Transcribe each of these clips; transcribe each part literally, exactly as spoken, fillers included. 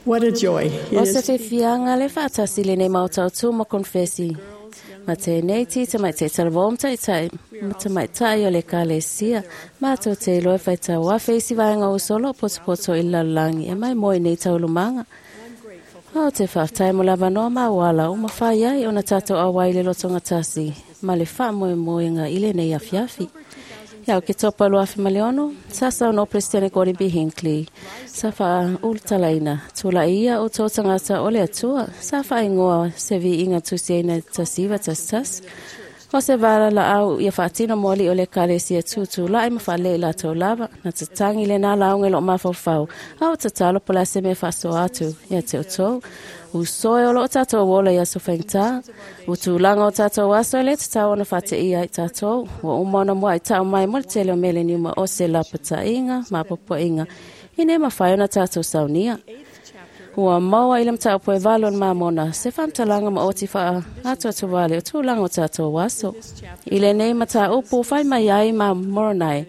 What a joy O it se is to be fiafiaga le faatasi lenei maotautū ma konefesi. Ma tenei ti tamaitai talavou ma taitai ma tamaitai o le ekalesia. Matou te iloa e faitau afe isi vaega o uso o loo potopoto i le lalolagi e maimoa i nei taualumaga. Ou te faafetai mo le avanoa ma auala ua mafai ai ona tatou auai i le lotogatasi ma le faamoemoega i lenei afiafi. Ia Oketopa lua afe ma le ono, sa saunoa Peresetene Gordon B. Hinckley, sa faaulutalaina, tula'i ia outou tagata o le Atua, sa faaigoa se viiga tusiaina tasi iva tasi tasi. O se valalaau ia faatino mo alii o le ekalesia tutulai ma faalelei latou lava, na tatagi lenā lauga i loo mafaufau, a o tatalo po o le a se mea e faasoa atu ia te outou. Uso e o loo tatou ola i aso faigata, o tulaga o tatou aso e lē tatau ona faateia ai tatou, ua uma ona mua'i tau mai mo le tele o meleniuma o se lapataiga ma apoapoaiga, ina ia mafai ona tatou saunia. Ua maua i le mataupu e valu o le Mamona se faamatalaga maoti faaatoatoa o tulaga o tatou aso. I lenei mataupu fai mai ai ma Moronai,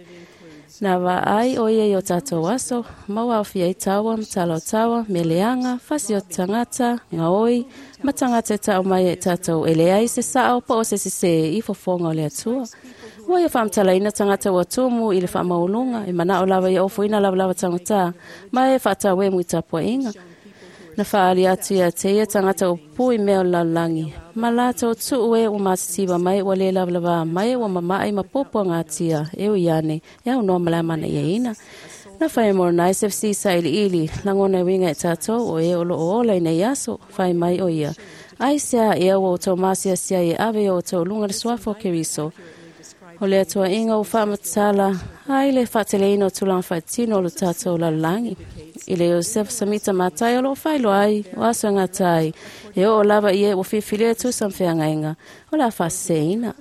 na vaai o ia i o tatou aso, ma ua aofia ai taua ma tala o taua, meleaga, fasi o tagata, gaoi, ma tagata e tau mai ai tatou e leai se sao po o se sesē i fofoga o le Atua. Ua ia faamatalaina tagata ua tumu i le faamaualuga, e manao lava ia ofoina lavalava tagatā, ma e faatauemu i tapuaiga. Na faaali atu ia te ia tagata o pupū i mea o le lalolagi, ma latou tuu e ua matitiva mai ua lē lavalavā mai ua mama'i ma puapuagatia e ui ane e aunoa ma le amanaiaina. Na fai e Moronai se fesili sailiili lagona e uiga i tatou o e o loo ola i nei aso, fai mai o ia. Aisea ea ua outou masiasi ai e ave i o outou luga le suafa o Keriso. O le atuaiga ua faamatala ai le faateleina o tulaga faatino o lo tatou lalolagi. I le Iosefa Samita Matai o loo faailoa ai o aso e gata ai, e oo lava i e ua filifilia e tusa ma feagaiga, o le a faaseseina.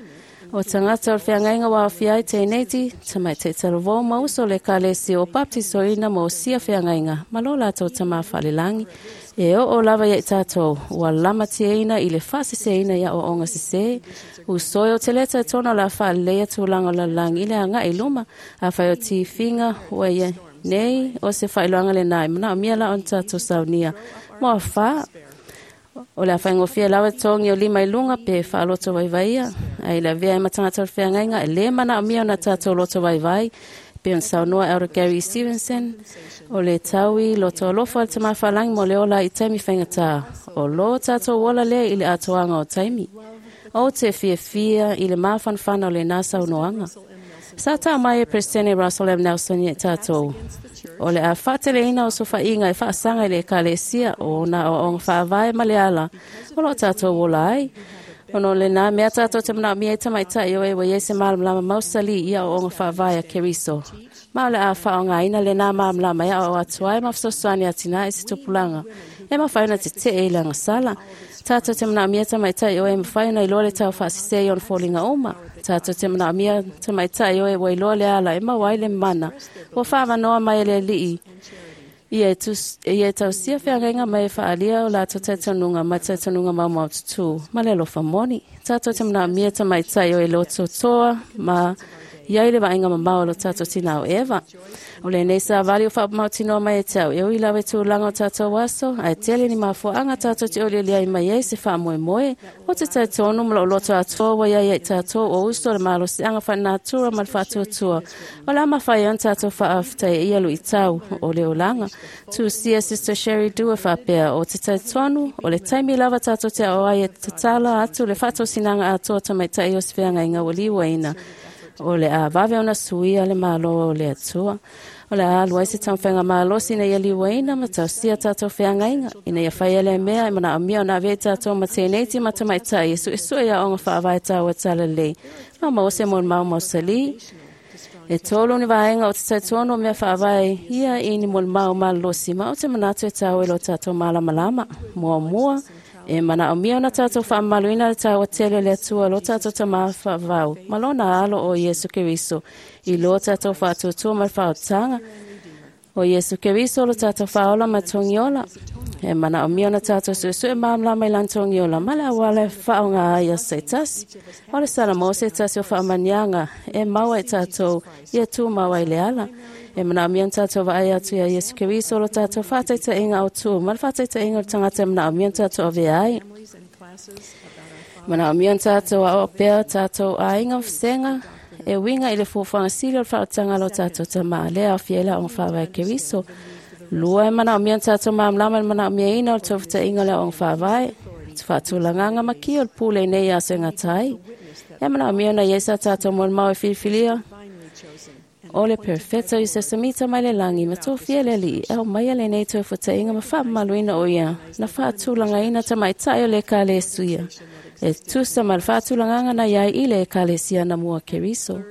O tagata o le feagaiga ua aofia ai teineiti, tamaitai talavou ma uso o le ekalesia ua baptisoina ma osia feagaiga ma lo latou tamā faalelagi. E oo lava ia i tatou, ua lamatiaina i le faaseseina i aoaoga sesē. Uso e o te lē talitonu o le a faaleleia tulaga o le lalolagi i le agai i luma, afai o tifiga ua ia nei o se faailoaga lenā e manaomia la ona tatou saunia. Mo afā, o le a faigofie lava togi o lima i luga pe faaloto vaivaia, ae i le avea ai ma tagata o le feagaiga e lē manaomia ona tatou loto vaivai, pe ona saunoa Elder Gary Stevenson, o le taui loto alofa o le Tamā Faalagi mo le ola i taimi faigata, o lo tatou ola lea i le atoaga o taimi. Ou te fiafia i le mafanafana o lenā saunoaga. Sa tau mai e Peresetene Russell M. Nelson ia i tatou. O le a faateleina o sofaiga e faasaga i le ekalesia o ona aoaoga faavae ma le ala o loo tatou ola ai. Ona o lenā mea tatou te manaomia ai tamaitai o e ua iai se malamalama mausali i aoaoga faavae a Keriso. Ma o le a faaaogaina lenā malamalama e aoao atu ai ma fesoasoani atinae i se tupulaga e mafai ona tetee i le agasala. Tatou te manaomia tamaitai o e mafai ona iloa le tau faasese i ona foliga uma. Tatou te manaomia tamaitai o e ua iloa le ala e maua ai le mana ua faavanoa mai e le Alii ia e, tus, ia e tausia feagaiga mai e faaalia o latou talitonuga ma talitonuga maumau tutū ma le alofa moni. Tatou te manaomia tamaitai o e lototoa ma iai le vaaiga mamao o lo tatou tinā o Eva. O lenei savali o faamautinoa mai e te au e ui lava i tulaga o tatou aso, ae tele ni mafuaaga tatou te olioli ai mai ai se faamoemoe. O te talitonu ma lou loto atoa ua iai ai tatou o uso o le malosiaga faalenatura ma le faatuatua. O le a mafai ai ona tatou faafetaia ia luitau o le olaga. Tusia Sister Sherry Dewar faapea, o te talitonu, o le taimi lava tatou te ao ai e tatala atu le faatosinaga atoa tamaitai o se feagaiga ua liuaina. O le a vave ona suia le malo o le Atua. O le a alu ai se taumafaiga malosi ina ia liuaina ma tausia tatou feagaiga, ina ia faia lea mea e manaomia ona avea i tatou ma teineiti ma tamaitai e suesue i aoga faavae taua talalelei, ma maua se molimau mausalī. E tolu ni vaega o te talitonu o mea faavae ia i ni molimau malolosi ma ou te manatu e taua i lo tatou malamalama. Muamua, e manaomia ona tatou faamamaluina le taua tele o le Atua lo tatou Tamā faavavau ma lona alo o Iesu Keriso i lo tatou faatuatua ma le faaotaga. O Iesu Keriso lo tatou faaola ma togiola. E manaomia ona tatou suesue malamalama i lana togiola ma le auala e faaaoga ai aso taitasi. O le Salamo se tasi o faamaniaga e maua i tatou ia tumau ai le ala. E manaomia ona tatou vaai atu iā Iesu Keriso o lo tatou faataitaiga autū ma le faataitaiga o le tagata e manaomia ona tatou avea ai. Manaomia ona tatou aoao pea tatou aiga ma vasega e uiga i le fuafuaga sili o le faaolataga a lo tatou Tamā, lea e aofia ai le aoga faavae Keriso. Lua, e manaomia ona tatou malamalama i le manaomiaina o le tofutaiga o le aoga faavae, faatulagaga ma kia o le pule i nei aso e gata ai. E manaomia ona i ai sa tatou molimau e filifilia o le Perfeta i se samita mai le lagi ma tofia le Alii e aumaia lenei toefutaiga ma faamamaluina o ia na faatulagaina tamaitai o le Ekalesia e tusa ma le faatulagaga na iai i le Ekalesia na mua Keriso.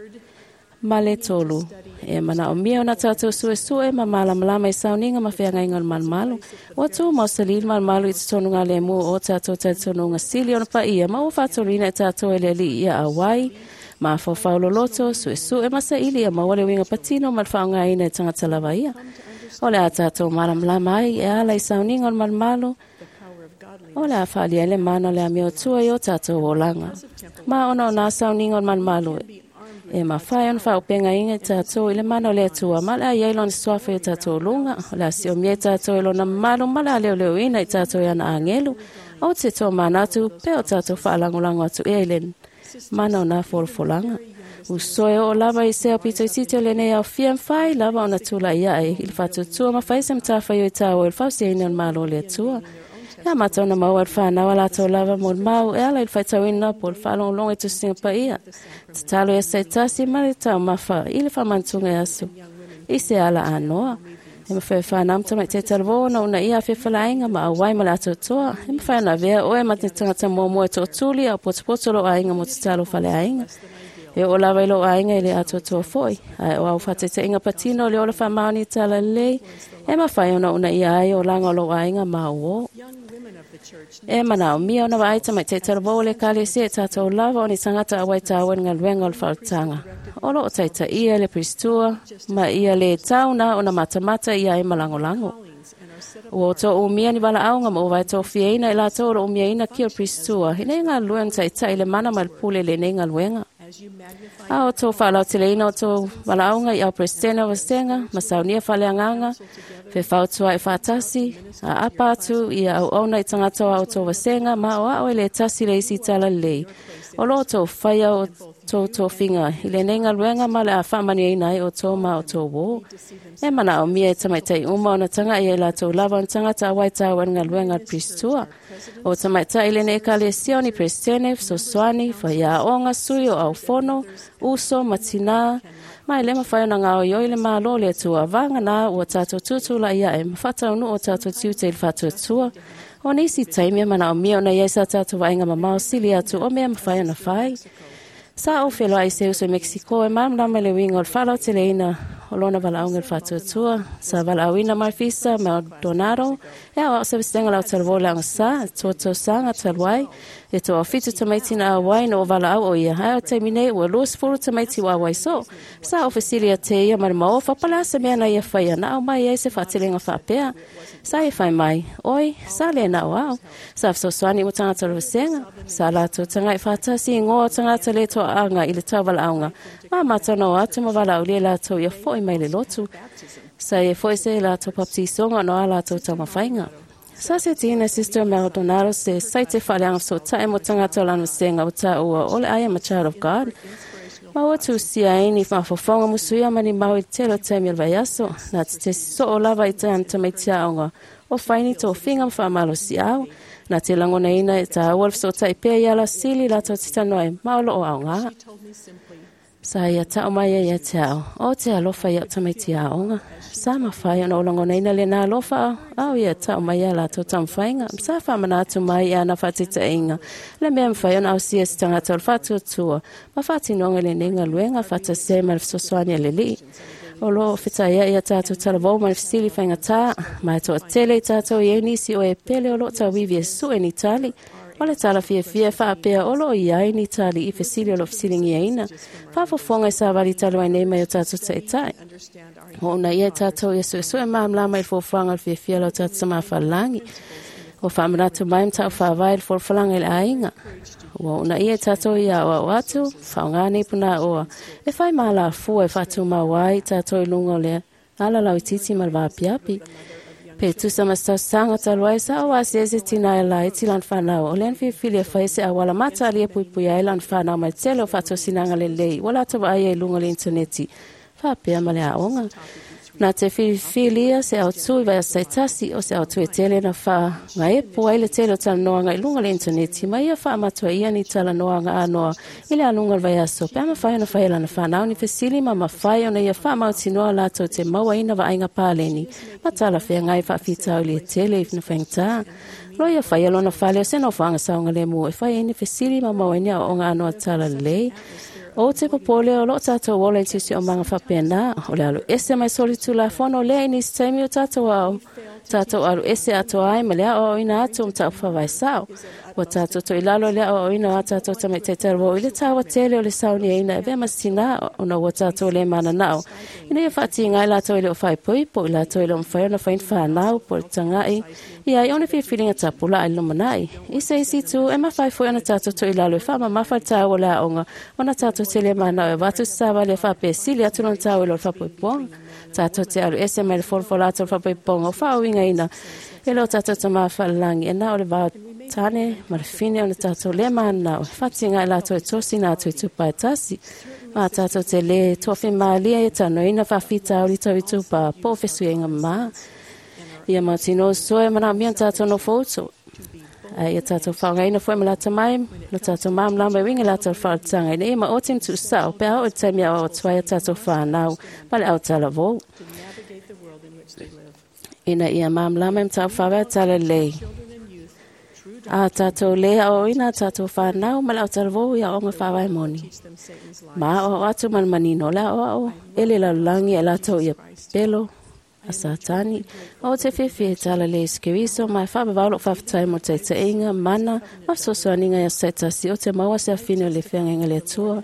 Ma le tolu, e manaomia ona tatou suesue ma malamalama i sauniga ma feagaiga o le malumalu. Ua tu mausali le malumalu i totonu galemu o tatou talitonuga sili ona paia ma ua faatoluina e tatou e le Alii ia auai, mafaufau loloto, suesue ma saili ia maua le uiga patino ma le faaaogaina e tagata lava ia. O le a tatou malamalama ai e ala i sauniga o le malumalu, o le a faaalia ai le mana o le amiotua i o tatou olaga. Ma ona o nā sauniga o le malumalu e mafai ona faaopegaina i tatou i le mana o le Atua, ma le a iai lona suafa i o tatou luga, o le a siomia i tatou i lona mamalu, ma le a leoleoina i tatou i ana agelu. O te tomanatu pe o tatou faalagolago atu ea i le mana o nā folafolaga. Usoe oo lava i se aupitoititi o lenei aofia mafai lava ona tulai ae i le faatuatua ma fai se matafaioi taua i le fausiaina o le Malo o le Atua. Ia matou na maua i le fanau a latou lava molimau e ala i le faitauina po o le faalogologo i tusiga paia. Tatalo ia saitasi ma le taumafa i le faamanatuga e aso i se ala anoa. E mafai e fanau ma tamaitai talavou ona uunaia afefalaaiga ma auai ma le atoatoa. E mafai ona avea oe ma te tagata muamua e tootuli a o potopoto lou aiga mo tatalo faleaiga. E oo lava i lou aiga i le atoatoa foi, ae o au faataitaiga patino o le ola faamaoni talalelei e mafai ona uunaia ai olaga o lou aiga ma auō. E manaomia ona vaai tamaitai talavou o le Ekalesia i tatou lava o ni tagata auai taua i le galuega o le faaolataga. O loo taitaia e le Pristua ma ia le tau na ona matamata ia ai ma lagolago. Ua outou umia ni valaauga ma ua vaetofiaina i latou o loo umiaina kia o le Pristua ina ia galulue ona taitai i le mana ma le pule i lenei galuega. A outou faalauteleina o tou valaauga i au Peresetene o Vasega ma saunia faaleagaga, fefautua'i faatasi, aapa atu ia auauna i tagata o a outou vasega ma aoao e le tasi le isi talalelei. O loo outou faia o tou tofiga i lenei galuega ma le a faamanuiaina ai outou ma outou uō. E manaomia e tamaitai uma ona taga'i ai latou lava ona tagata auai taua i le galuega a le Pristua. O tamaitai i lenei Ekalesia o ni Peresetene, fesoasoani, faiaoga, sui o aufono, uso ma tinā, ma e le mafai ona gaoioi le Malo o le Atua vagana ua tatou tutulai ae ma faataunuu o tatou tiute i le faatuatua. O nisi taimi e manaomia ona i ai sa tatou vaaiga mamao sili atu o mea mafai ona fai. Sa ou feloai i se uso i Mexico e malamalama i le uiga o le faalauteleina o lona valaauga i le faatuatua. Sa valaauina mai Fisa Maldonado e aoao se vasega lau talavou i le agasā, toa tausaga talu ai, e toafitu tamaiti na auai na ua valaau o ia, ae o le taimi nei ua luasefulu tamaiti ua auai soo. Sa ou fesili ia te ia ma le maofa, po o le a se mea na ia faia na aumai ai se faateleina faapea. Sa ia fai mai, Oi, sa le na o au. Sa fesoasoani mo tagata o le vasega. Sa latou taga'i faatasi i igoa o tagata le toaaga i le tauvalaauga, ma matou na o atu ma valaaulia i latou ia fo'i mai le lotu. Sa ia foi se latou baptisoga ona o a latou taumafaiga. Sa setiina e Sister Maldonado se saite faaleaga fesootai mo tagata o lana vasega ua taua o le I Am a Child of God, ma ua tusia ai ni mafaufauga musuia ma ni mau i le tele o taimi o le vaiaso, na te tesi soo lava i ana tamaiti aoga o fai ni tofiga ma faamalosiau, na te lagonaina e taua le fesootai pea i ala sili latou te talanoa ai ma o loo aoga. Sa ia tau mai ai ia te au, o te alofa i au tamaiti aoga. Sa mafai ona ou lagonaina lena alofa au ia tau mai ia latou taumafaiga. Sa faamanatu mai i ana faataitaiga le mea mafai ona ausia se tagata o le faatuatua ma faatinoga i lenei galuega faatasi ai ma le fesoasoani a le Alii. O loo fetaia'i a tatou talavou ma le fesili faigatā, ma e toatele i tatou i ai nisi o e pele o loo tauivi e sue ni tali. O le tala fiafia e faapea o loo i ai ni tali i fesili o loo fesiligiaina. Faafofoga i savali talu ai nei mai o tatou taitai. O uunaia i tatou ia suesue malamalama i le fuafuaga o le fiafia o lo tatou Tamā falelagi. Ua faamanatu mai mataupu faavae i le folafolaga i le aiga. Ua uunaia i tatou ia aoao atu, faaaoga nei punāoa e fai ma alafua e faatumau ai i tatou i luga o le Ala lau titi ma le vaapiapi. Pe tusa ma se tausaga talu ai sa o asiasi tina e laiti lana fanau. O lea na filifili e fai se auala matalia e puipuia ai lana fanau mai le tele o faatosinaga lelei ua latou vaaia i luga o le initaneti faapea ma le aoga. Na te filifilia se autū i vaiaso taitasi o se autū e tele na faagaepu ai le tele o talanoaga i luga o le initaneti ma ia faamatuaia ni talanoaga anoa i le aluga o le vaiaso pe a mafai ona fai e lana fanau ni fesili ma mafai ona ia faamautinoa latou te mauaina vaaiga paleni ma talafeagai faafitauli e tele i na faigata. Lo ia faia lona fale o se nofoaga saogalemu e fai ai ni fesili ma maua ai ni aoaoga anoa talalelei. O te popole o loo tātou ola i sisi o manga whapena, o le alu ese mai soli tulafono lea i nisi taimi o tātou au. Tātou alu ese atoa ai ma le ao o ina atu o mtau whawai sao. Ua tātou to ilalo le ao o ina a tātou tamaitai talavou i le taua tele o le sauni e ina e vea masina ona ua tātou le mana nao. Ina ia whaatinga i lātou i le o whaipoipo i lātou i le o mwhai ona whain whanau po le tangai. Ia i ona whiwhiringa tapula ai lumanai. I se isi tu e mawhai foi ona tātou to ilalo e whamamafa le taua le aonga ona tātou te le manao e watu sawa le whape sili atu lona taua i lo le whapoipoanga. Tātou te alu ese mai le folofola atu o le whapoipoanga o whaauinga ina e lo tātou ta mawhalangi e nā o le vao tane ma le fine ona tātou le manao e whatinga i lātou e tosi nā atu i tupa e tasi. Ma tātou te le tofi maalia e tanoina whawhita ori tau i tupa po fesuenga mā. Ia mautino soe mana mia tātou no fouto. Ai ia tātou whaongaina foi ma lata mai, no tātou māmlama e winga lātou whaotanga. Ina ia ma o tim tu sao, pe ao o te taimi ao o tuai a tātou whanau, ma le au talavou. To navigate the world in which they live. Ina ia māmlama e mtau whawea tala lei. Children and youth, true A tātou le ao ina tātou whanau, ma le au talavou ia onga whawai moni. teach them Satan's lies. Ma o atu man manino la o ao, ele lalulangi e lātou ia pelo a Satani. O te whiwhi e tala le iskiriso, mai whawawau lo whawhatai mo te teinga, mana, ma sosoaninga ia setasi, o te maua se awhine o le whiangainga le atua.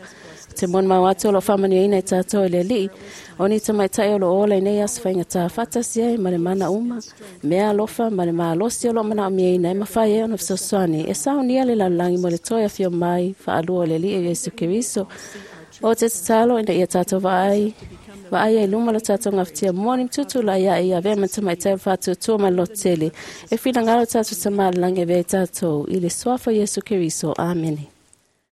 O te mon mau atu o lo whamanu ina i tātou e le lii. O ni te maitai o lo ola i nei as whainga tā whatasi ai, ma le mana uma. Mea alofa, ma le maalosi o lo mana o mia ina e mawhai e ona fesoasoani. E saunia le lalulangi mo le toi awhio mai, whaalua o le lii e Yesu Keriso. O te tatalo ina ia tātou vaai, vaai ai luma lo tātou ngawhtia moni mtutu la ia ia vea mata mai tau whātuatua ma lo tele. E whina ngaro tātou tamālangi e vea tātou i le suafa Yesu Keriso. Amene.